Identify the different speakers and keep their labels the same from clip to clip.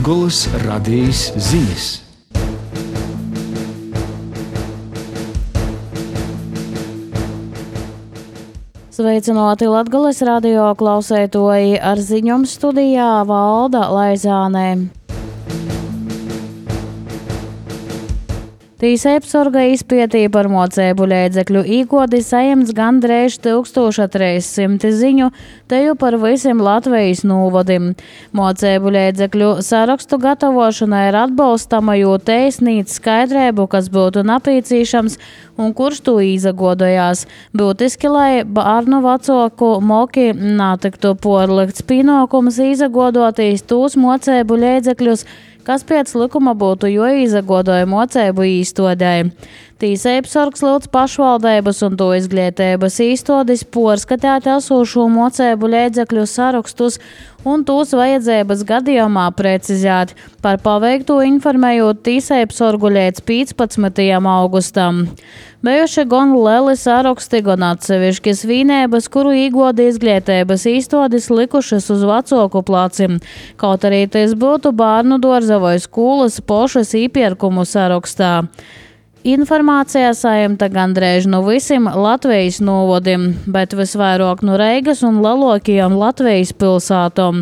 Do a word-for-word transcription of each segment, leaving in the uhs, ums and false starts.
Speaker 1: Latgolas radijas ziņas.
Speaker 2: Sveicināti Latgolas radio klausētoji, ar ziņām studijā Valda Laizānē. Tīsēpsorga izpētīja par mocēbu līdzekļu īgodi saimts gandrīz tūkstoš trīs simti ziņu, teju par visiem Latvijas nūvodim. Mocēbu līdzekļu sarakstu gatavošana ir atbalstama, jo te sniedz skaidrību, kas būtu napīcīšams un kurš to izagodojās. Būtiski, lai bērnu vecāku moki natiktu porlikts pienākums izagodotīs tūs mocēbu līdzekļus, kas pēc likuma būtu jo izagodoja mocēbu īstodēji. Tīsēpsorgs lūdz pašvaldības un to izglītības īstodis porskatāt esošo mocēbu līdzekļu sarakstus un tūs vajadzības gadījumā precizēt. Par paveikto informējot Tīsēpsorgu līdz piecpadsmitajam augustam. Bijuši gan lieli saraksti, gan atsevišķi svinības, kuru īgodi izglītības īstodis likušas uz vecāku placim. Kaut arī tas būtu bērnu dārza vai skolas pošas īpirkumu sarakstā. Informācijā saimta gandrīz no visiem Latvijas novodim, bet visvairāk no Reigas un lielākajām Latvijas pilsētām.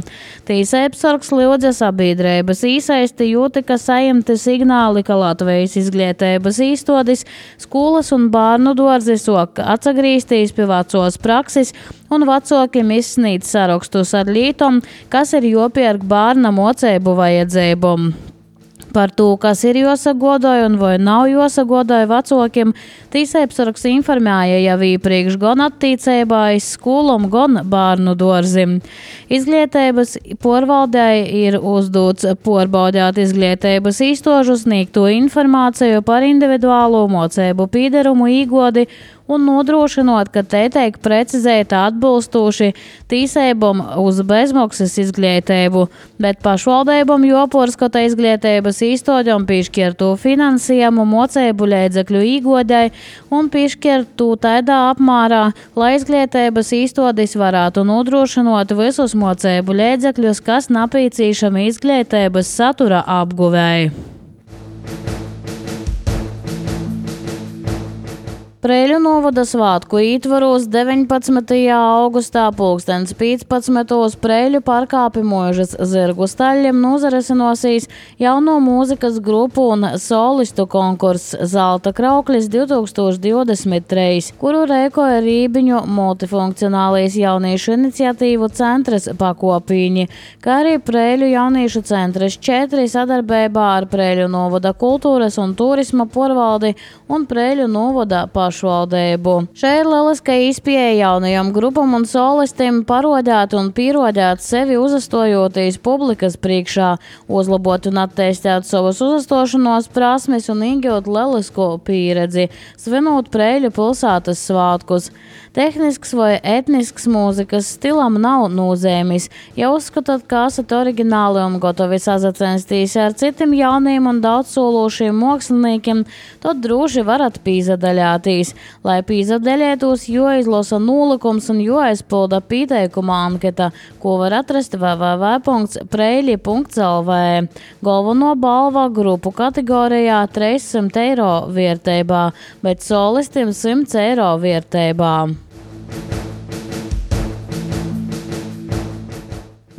Speaker 2: Tīsēpsorgs lūdza sabiedrības īsaisti jūti, ka saimti signāli, ka Latvijas izglītības īstodis, skolas un bērnu dārzi sok atsagrīstīs pie vecos praksis un vecākiem izsnīd sarakstus ar lītom, kas ir jopērk bērna mocēbu vajadzībām. Par to, kas ir jāsagodoja un vai nav jāsagodoja vecākiem, Tīsēpsorgs informēja jau iepriekš gan attīcībā iz skolām, gan bērnu dārzim. Izglītības porvaldei ir uzdots porbaudīt izglītības īstožu sniegto informāciju par individuālo mocēbu pīderumu īgodi un nodrošinot, ka te tiek precizēta atbilstoši tīsēbam uz bezmaksas izglītību, bet pašvaldībam joporskota izglītības īstoģam piešķirtu finansējumu mocēbu līdzekļu īgodai un piešķirtu tādā apmērā, lai izglītības īstodis varētu nodrošinot visus mocēbu līdzekļus, kas napīcīšami izglītības satura apguvēji. Preiļu novada svātku ītvaros deviņpadsmitajā augustā pulkstens piecpadsmitos Preiļu parkā pie Mūžas zirgu staļļiem nozarisinosies jauno mūzikas grupu un solistu konkurss Zelta krauklis divtūkstoš divdesmit trīs, kuru rēkoja Rībiņu multifunkcionālijas jauniešu iniciatīvu centras pakopīņi, kā arī Preiļu jauniešu centras četri sadarbībā ar Preiļu novada kultūras un turisma porvaldi un Preiļu novada pašu. Šeit ir lieliska izpēja jaunajam grupam un solistiem parodēt un pierodēt sevi uzastojoties publikas priekšā, uzlabot un attīstīt savus uzastošanos prasmes un iegūt lielisko pieredzi, svinot Preiļu pilsētas svātkus. Tehnisks vai etnisks mūzikas stilam nav nozīmes. Ja uzskatāt, ka esat oriģināli un gatavi sazacensties ar citiem jauniem un daudzsološiem māksliniekiem, tad droši varat pīzadaļāties. Lai pīzadaļētos, jo izlasa nolikums un jo aizpilda pieteikuma anketa, ko var atrast w w w punkts preili punkts l v. Galveno balva grupu kategorijā trīssimt eiro vērtībā, bet solistiem simt eiro vērtībā.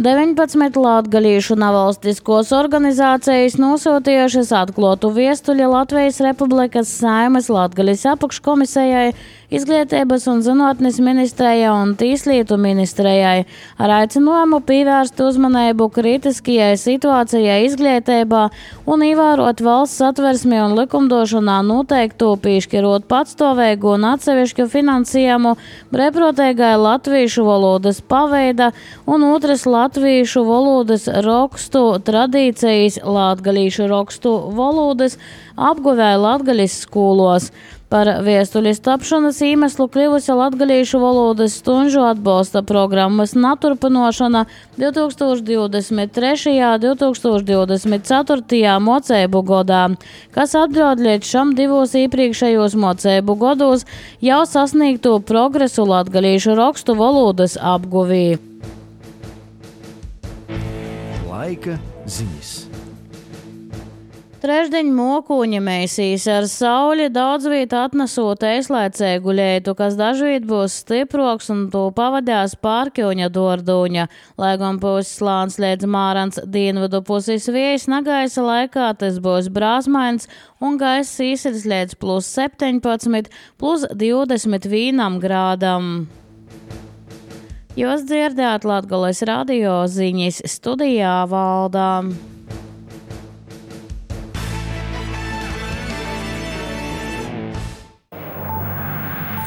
Speaker 2: deviņpadsmit latgalīšu nevalstiskos organizācijas nosūtījušas atklātu viestuļi Latvijas Republikas Saeimas Latgalis apakškomisejai, Izglītības un zinātnes ministrijai un Tieslietu ministrijai ar aicinājumu pievērst uzmanību kritiskajai situācijai izglītībā un ievērot valsts satversmi un likumdošanā noteiktu piešķirot patstāvīgu un atsevišķu finansējumu brīvprātīgai latviešu valodas paveida un otras latviešu valodas rakstu tradīcijas latgalīšu rakstu valodas apguvēja Latgalis skolos. Par viestuļas tapšanas iemeslu kļuvusi latgalīšu valodas stunžu atbalsta programmas naturpinošana divtūkstoš divdesmit trešajā un divtūkstoš divdesmit ceturtajā mocēbu godā, kas atļaut līdz šam divos iepriekšējos mocēbu godos jau sasniegto progresu latgalīšu rakstu valodas apguvī.
Speaker 1: Laika ziņas.
Speaker 2: Trešdiņ mokuņa mēsīs ar sauli daudz viet atnesot eislēcēgu leitu, kas dažviet būs stiproks un to pavadās pārkjoņa dorduņa. Lai gan puses slāns liedz mārans dienvidu puses viejas, nagaisa laikā tas būs brāzmains un gaiss īsirs liedz plus septiņpadsmit, plus divdesmit vienam grādam. Jūs dzirdēt Latgoles radio ziņas, studijā Valdā.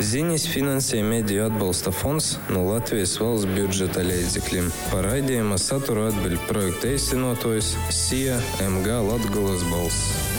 Speaker 3: Ziņas finansē Mediju atbalsta fonds no Latvijas valsts budžeta līdzekļiem. Par raidījuma saturu atbild projekta īstenotājs S I A M G Latgoles balss.